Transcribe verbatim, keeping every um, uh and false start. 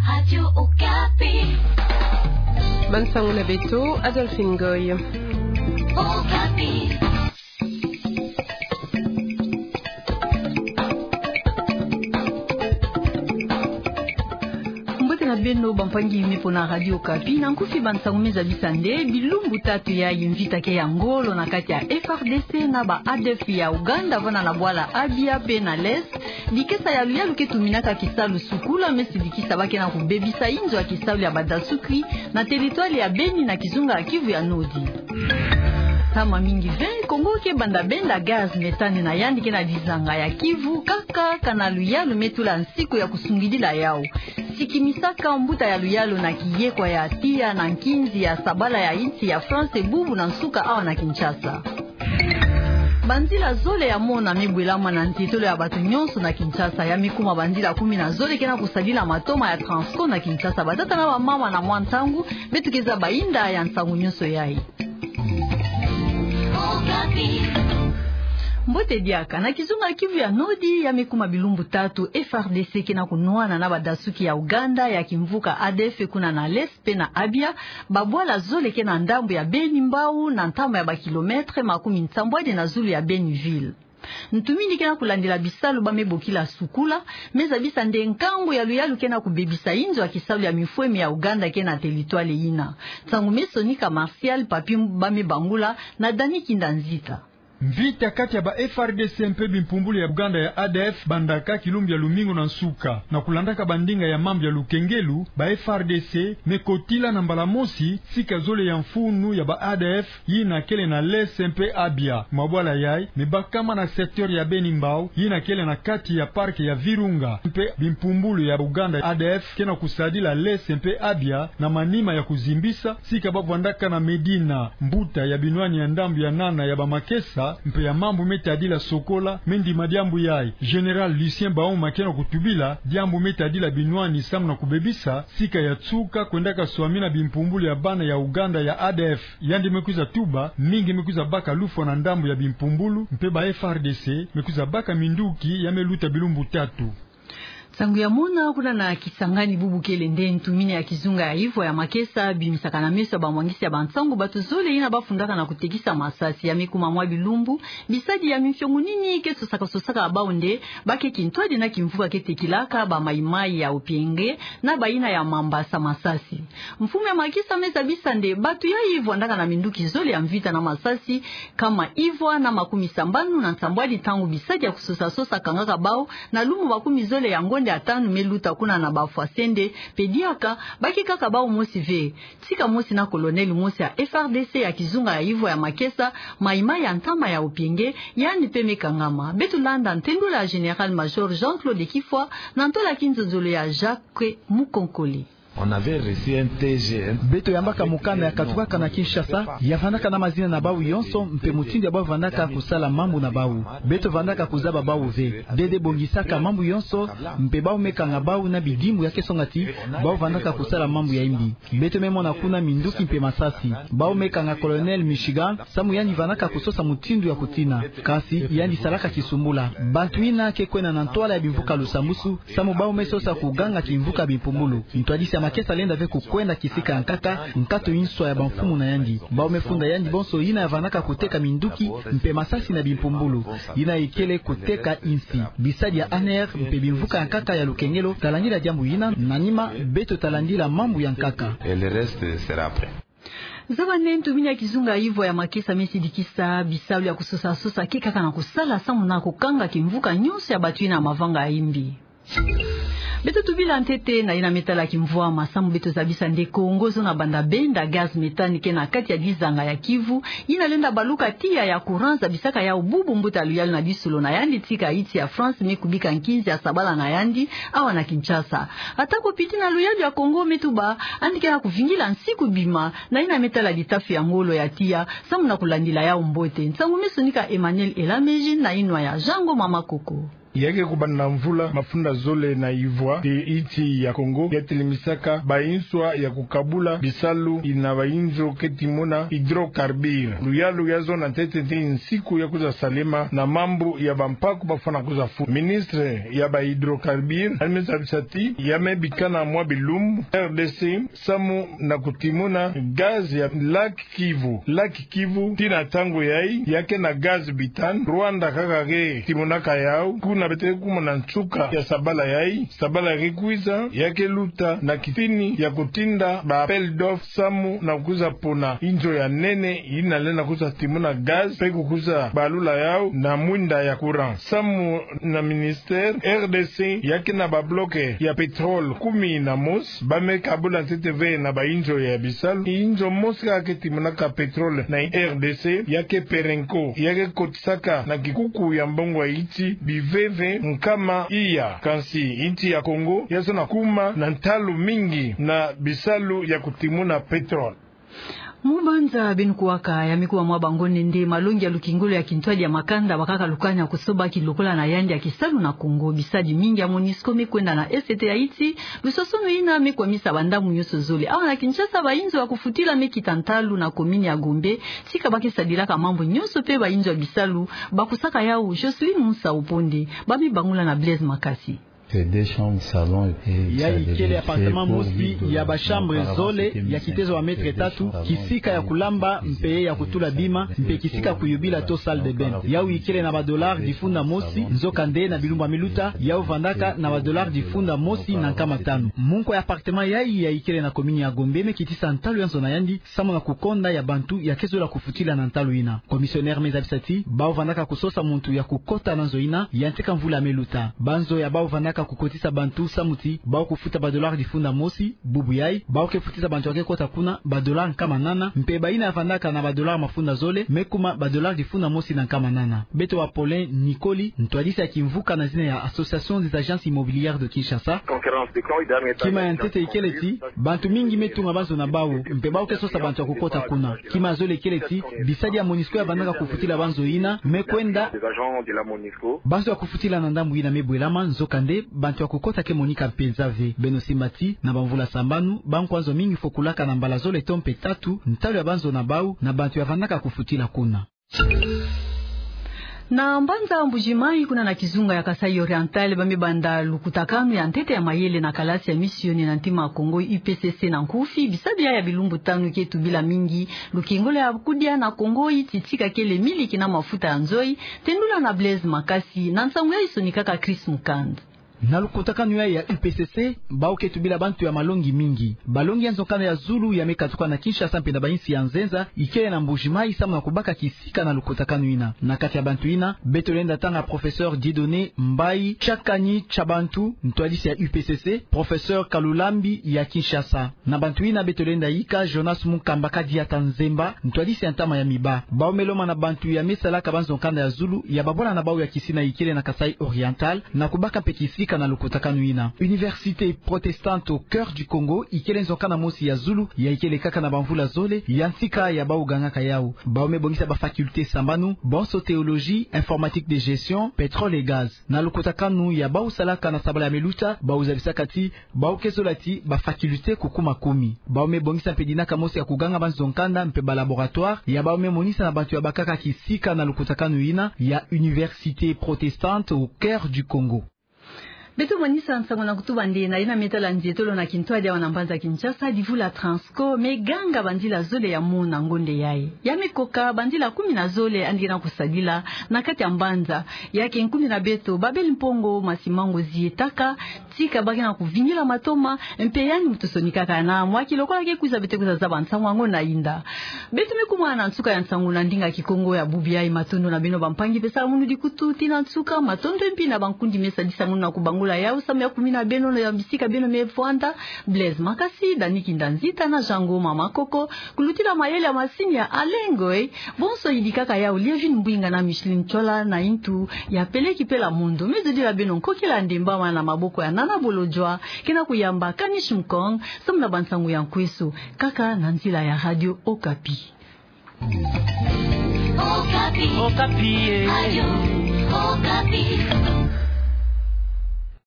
Radio Okapi. Bansangu na beto, Adolphine Ngoy. Okapi. Mbote na beno, bampangi me mpo na Radio Okapi, na nkufi bansangu me zabisa nde bilumbu tatu yayi mvita ke ya ngolo na kati ya F R D C na ba A D F ya Ouganda, vanda na bwala Abia pe na l'Est, dikesa ya luyalu ke tuminaka kisalu sukula, me sidikisa ba ke na kubebisa inzo ya kisalu ya badasuki na teritwale ya Beni na kizunga ya Kivu ya Nord. Ntama mingi ve, Congo ke banda benda gaz méthane na yandi ke na dizanga ya Kivu, kaka kana luyalu me tula nsiku ya kusungidila yau. Sikimisaka mbuta ya luyalu na kiyekwa ya tiya na nkinzi ya sabala ya insi ya France bubu na nsuka awa na Kinshasa. Banzila zole ya mona me bwelama na ntetolo ya bato nyonso na Kinshasa. Ya me kuma banzila kumi na zole ke na kusadila matoma ya Transco na Kinshasa. Batata na bamama, na mwa ntangu beto ke zaba inda ya nsangu nyonso yayi. Mbote diaka. Na kizunga Kivu ya Nord, ya me kuma bilumbu tatu F R D C ke na kunwana na badasuki ya Ouganda ya kimvuka A D F kuna na l'Est pe na Abia, babwala zole ke na ndambu ya Beni Mbau, na ntama ya bakilometre makumi nsambwadi na zulu ya Beni ville. Ntumini ke na kulandila bisalu ba me bokila sukula, me zabisa nde nkangu ya luyalu ke na kubebisa inzo ya kisalu ya mifweme ya Ouganda ke na teritwale yina. Nsangu me sonika Martial Papi ba me bangula na Dani Kinda Nzita. Mvita kati ya ba F R D C mpe bimpumbulu ya Ouganda ya A D F bandaka kilumbu ya lumingu na nsuka. Na kulandaka bandinga ya mambu ya lukengelu, ba F R D C me kotila na mbala mosi sika zole ya mfunu ya ba A D F yina kele na l'Est mpe Abia. Mabwala yayi me bakama na secteur ya Beni Mbau, yina kele na kati ya parc ya Virunga. Mpe bimpumbulu ya Ouganda A D F ke na kusadila l'Est mpe Abia na manima ya kuzimbisa sika ba vandaka na Medina. Mbuta ya binwani ya ndambu ya nana ya bamakesa mpe ya mambu me tadila sokola me ndima diambu yayi. Général Lucien Bauma ke na kutubila diambu me tadila binwani samu na kubebisa sika ya nsuka kwendaka swamina bimpumbulu ya bana ya Ouganda ya A D F. Yandi me kwiza tuba, mingi me kwiza baka lufwa na ndambu ya bimpumbulu, mpe ba F R D C me kwiza baka minduki ya me luta bilumbu tatu. Nsangu ya mona kuna na Kisangani bubu kele nde ntumini ya kizunga ya Yves ya Makesa bimisaka na meso ya bamwangisi ya bansangu bato zole yina ba fundaka na kutekisa masasi. Ya me kuma mwa bilumbu, bisadi ya mifiongunini ke sosaka-sosaka bau nde ba ke kintwadi na kimvuka ke tekilaka ba maïmaï ya Opienge na bayina ya Mambasa masasi. Mfumu ya Makesa me zabisa nde bato yayi vandaka na minduki zole ya mvita na masasi, kama ivwa na makumi sambanu na nsambwadi ntangu bisadi ya kusosa-sosa kangaka bau, na lumbu makumi zole ya ngonde ya tanu me luta kuna na Bafwasende, mpe diaka ba ke kaka bau mosi ve. Tika mosi na colonel mosi ya F R D C ya kizunga ya Yves ya Makesa, maïmaï ya ntama ya Opienge, yandi mpe me kangama. Beto landa ntendula ya Général-Major Jean-Claude Kifwa na ntola ya kinzonzolo ya Jacques Mukonkole. On avait reçu un T G, hein. Beto yambaka mokanda ya katukaka na Kinshasa, ya vandaka na mazina na bau yonso, mpe mutindu ya bau vandaka kusala mambu na bau. Beto vandaka kuzaba bau ve. Dede bongisaka mambu yonso, mpe bau me kanga bau na bidimbu ya ke songa ti bau vandaka kusala mambu ya imbi. Beto me mona kuna minduki mpe masasi. Bau me kanga Colonel Michigan, samu yandi vandaka kusosa mutindu ya kutina. Kasi yandi salaka kisumbula. Bantu yina ke kwenda na ntwala ya bimvuka lusambusu, samu bau me sosa kuganga kimvuka bimpumbulu. Ntwadisi ya Makesa lenda ve kukwenda kisika ya nkaka, nkato inswa ya bamfumu na yandi. Bau me funda yandi bonso yina ya vandaka kuteka minduki mpe masasi na bimpumbulu. Yina ikele kuteka insi. Bisadi ya A N R mpe bimvuka ya nkaka ya lukengelo, talandila diambu yina, na nima, beto talandila mambu ya nkaka. Et le reste sera après. Zaba nde ntumini ya kizunga ya Yves ya Makesa me sidikisa bisalu ya kusosa-sosa ke kaka na kusala samu na kukanga kimvuka nyonso ya bato yina ya mavanga ya imbi. Beto tubila ntete na yina me tala kimvwama, samu beto zabisa nde Congo zo na banda benda gaz méthane ke na kati ya dizanga ya Kivu, yina lenda baluka tiya ya courant zabisaka yau bubu mbuta luyalu na disolo na yandi tika insi ya France me kubika nkinzi ya sabala na yandi awa na Kinshasa. Atako piti na luyalu ya Congo me tuba, yandi ke na kuvingila nsiku bima na yina me tala ditafi ya ngolo ya tiya, samu na kulandila yau mbote. Nsangu me sonika Emmanuel Elameji na yinwa ya Jean Ngoma Makoko. Ya ke kubanda mvula mafunda zole na ivwa, te insi ya Kongo ya telimisaka banswa ya kukabula bisalu ina ba inzo ke timona hydrocarbures. Luyalu ya zona ntete nde nsiku ya kwiza salema na mambu ya bampaku bafwana kwiza fu. Ministre ya ba hydrocarbures, Hermine Zabisati, ya me bikana mwa bilumbu R D C samu na kutimona gaz ya lac Kivu. Lac Kivu, tii na ntangu yayi, ya ke na gaz butane. Rwanda kaka ke timonaka yau. Kuna beto ke kumona nsuka ya sabala yayi. Sabala ke kwiza, ya ke luta na kitini ya kutinda ba appel d'offres samu na kwiza pona inzo ya nene ina lenda kwiza timona gaz, mpe kukwiza balula yau na mwinda ya courant. Samu na ministère, R D C ya ke na ba bloc ya pétrole kumi na mosi, ba me kabula ntete ve na ba inzo ya bisalu. Inzo mosi kaka ke timonaka pétrole na R D C, ya ke Perenco, ya ke kotisaka na kikuku ya mbongo ya insi biveve nkama iya. Kansi insi ya Kongo ya zona kuma na ntalu mingi na bisalu ya kutimona pétrole. Mu banza beno kuwaka, ya me kuwa mwa bangonde nde malongi ya lukingolo ya kintwadi ya makanda bakaka lukani ya kusoba kilokola na yandi ya kisalu na Kongo. Bisadi mingi ya MONUSCO me kwenda na est ya insi. Lusosono ina me kwamisa bandambu nyonso zole. Awa na Kinshasa, ba inzo ya kufutila me kita ntalu na commune ya Gombe, tika ba ke sadilaka mambu nyonso mpe ba inzo ya bisalu ba kusaka yau. Jocelyne Musa Oponde, ba me bangula na Blaise Makasi. Yayi ikele appartement mosi ya ba chambre zole, ya kitezo ya mètre tatu, kisika ya kulamba mpe ya kutula bima, mpe kisika kuyubila to salle de bain. Yau ikele na ba dollars difunda mosi, nzokande na bilumbu ya me luta, yau vandaka na ba dollars difunda mosi na nkama tanu. Munko ya appartement yayi ya ikele na commune ya Gombe me kitisa ntalu ya nzo na yandi, samu na kukonda ya bantu ya ke zola kufutila na ntalu ina. Commissionnaire me zabisa ti, bau vandaka kusosa muntu ya kukota na nzo ina, ya nteka mvula ya me luta. Ba nzo ya bau vandaka kukotisa bantu samu ti bau kufuta ba dollars difunda mosi, bubu yayi, bau ke futisa bantu ya ke kota kuna ba dollars nkama nana, mpe ba ina ya vandaka na ba dollars mafunda zole, me kuma ba dollars difunda mosi na nkama nana. Beto wa Paulin Nicoli, ntwadisi ya kimvuka na zina ya Association des Agences Immobilières de Kinshasa. Kima ya ntete ikele ti, bantu mingi me tunga ba nzo na bau, mpe bau ke sosa bantu ya kukota kuna. Kima ya zole ikele ti, bisadi ya MONUSCO ya vandaka kufutila ba nzo ina me kwenda. Ba nzo ya kufutila na ndambu ina me bwelama, nzokande bantu ya kukota ke monika mpenza ve. Beno simba ti, na ba mvula sambanu, bankwa nzo mingi fokulaka na mbala zole to mpe tatu ntalu ya ba nzo na bau na bantu ya vandaka kufutila kuna. Na mbanza Mbuji-Mayi, kuna na kizunga ya Kasaï Oriental, ba me banda lukutakanu ya ntete ya mayele na kalasi ya misioni na ntima ya Kongo, U P C C na nkufi. Bisadi yayi ya bilumbu tanu ke tubila mingi lukingolo ya kudia na Kongo, yi ti tika kele miliki na mafuta ya nzoyi. Tendula na Blaise Makasi na nsangu yayi sonikaka Chris Mukand. Na lukutakanu yayi ya U P C C, bau ke tubila bantu ya malongi mingi. Balongi ya nzo nkanda ya zulu ya me katuka na Kinshasa mpe na ba insi ya nzenza, ikele na Mbuji-Mayi samu na kubaka kisika na lukutakanu ina. Na kati ya bantu ina, beto lenda tanga professeur Dieudonné Mbayi Tshiakanyi Tshiabantu, ntwadisi ya U P C C, professeur Kalulambi ya Kinshasa. Na bantu ina beto lenda yika Jonas Munkamba Kadiata Nzemba, ntwadisi ya ntama ya miba. Bau me lomana bantu ya me salaka ba nzo nkanda ya zulu, ya babwana na bau ya kisina ikele na Kasaï Oriental, na kubaka mpe kisika na lukutakanu ina. Université protestante au cœur du Congo ikele nzo nkanda mosi ya zulu, ya ikele kaka na ba mvula zole, ya ntika ya bau gangaka yau. Bau me bongisa ba facultés sambanu, bonso théologie, informatique de gestion, pétrole et gaz. Na lukutakanu ya bau salaka na sabala ya me luta, bau zabisaka ti, bau ke zola ti ba facultés kukuma kumi. Bau me bongisa mpe dinaka mosi ya kuganga ba nzo nkanda mpe ba laboratoire, ya bau me monisa na bantu ya bakaka kisika na lukutakanu ina ya Université protestante au cœur du Congo. Beto monisa nsangu na kutuba nde na yina me tala nzietolo na kintwadi awa na mbanza Kinshasa, divu la Transco me ganga banzila zole ya mona ngonde yayi. Ya me koka banzila kumi na zole yandi ke na kusadila na kati ya mbanza. Ya ke nkumbu na beto, Babel Mpongo Masimango zietaka, tika ba ke na kuvingila matoma, mpe yandi muntu sonikaka na mwa ki lokola ke kwiza beto kwiza zaba nsangu yango na yinda. Beto me kuma na nsuka ya nsangu na ndinga Kikongo ya bubu yayi. Matondo na beno bampangi pesaka munu dikutu tii na nsuka. Matondo mpi na bankundi me sadisa munu na kubangula yau samu ya kumina beno na ya bisika beno me vwanda. Blaise Makasi, Dani Kinda Nzita na Jean Ngoma Makoko. Kulutila mayele ya masini ya Alain Ngoy. Bonso yidikaka yau Lievine Mbwinga na Micheline Chola na intu ya peleki pela mondo. Me zodila beno nkokila ndemba wa na maboko ya Nana Bolodjwa, ke na kuyamba Kanish Mkong, samu na bansangu ya nkweso, kaka na nzila ya Radio Okapi. Okapi. Okapi, eh. Radio Okapi.